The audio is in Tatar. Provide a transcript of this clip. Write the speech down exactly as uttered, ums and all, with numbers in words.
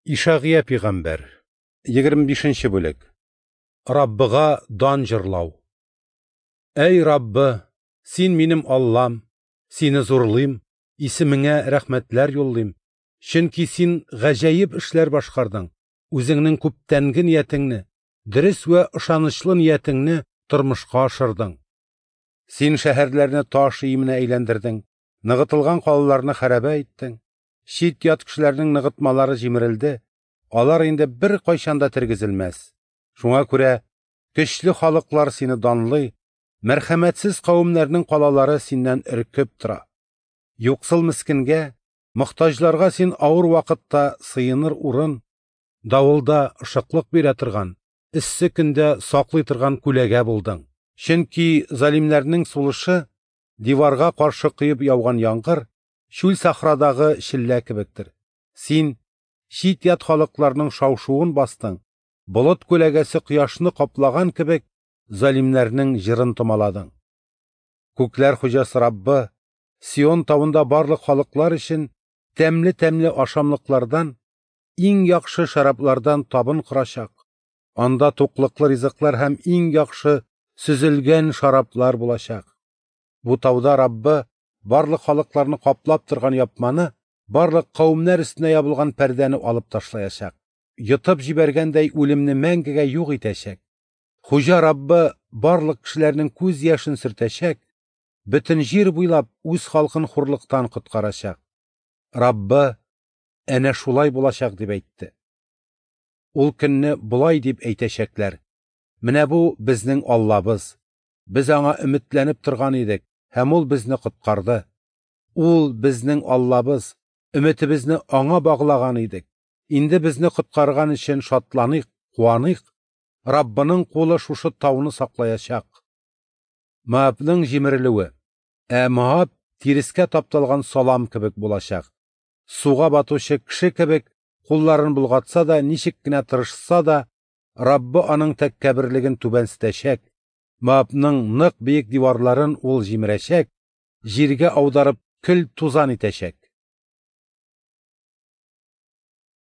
Ишагыя пигамбәр, егерме бишенче бүлек. Раббыга дан җырлау. Әй Раббы, син минем Аллам, сине зурлыйм, исемеңә рәхмәтләр юллыйм, чөнки син гаҗәеп эшләр башкардың, үзеңнең күптәнге ниятеңне, дөрес вә ышанычлы ниятеңне тормышка ашырдың. Син шәһәрләрне таш өеменә әйләндердең, ныгытылган калаларны хәрабә иттең. Чит-ят кешеләрнең ныгытмалары җимерелде, алар инде беркайчан да тергезелмәс. Шуңа күрә көчле халыклар сине данлый, мәрхәмәтсез кавемнәрнең калалары синнән өркеп тора. Юксыл мескенгә, мохтаҗларга син авыр вакытта сыеныр урын, давылда ышыклык бирә торган, эссе көндә саклый торган күләгә булдың. Чөнки залимнәрнең сулышы диварга каршы коеп яуган яңгыр, чүл сахрадагы челлә кебектер. Син чит-ят халыкларның шау-шуын бастың, болыт күләгәсе кояшны каплаган кебек, залимнәрнең җырын томаладың. Күкләр хуҗасы Раббы Сион тавында барлык халыклар өчен тәмле-тәмле ашамлыклардан, иң яхшы шәраблардан табын корачак. Анда туклыклы ризыклар һәм иң яхшы сөзелгән шараблар булачак. Бу тауда Раббы барлык халыкларны каплап торган япманы, барлык кавемнәр өстенә ябылган пәрдәне алып ташлаячак. Йотып җибәргәндәй үлемне мәңгегә юк итәчәк. Хуҗа Раббы барлык кешеләрнең күз яшен сөртәчәк, бөтен җир буйлап үз халкын хурлыктан коткарачак. Раббы әнә шулай булачак дип әйтте. Ул көнне болай дип әйтәчәкләр: Менә бу безнең Аллабыз. Без аңа өметләнеп торган идек, һәм ул безне коткарды. Ул безнең Аллабыз, өметебезне аңа баглаган идек. Инде безне коткарган өчен шатланыйк, куаныйк. Раббының кулы шушы тауны саклаячак. Моабның җимерелүе. Ә Моаб тирескә тапталган салам кебек булачак. Суга батучы кеше кебек кулларын болгатса да, ничек кенә тырышса да, Раббы аның тәкәбберлеген түбәнсетәчәк. Моабның нык биек диварларын ул җимерәчәк, җиргә аударып көл тузан итәчәк.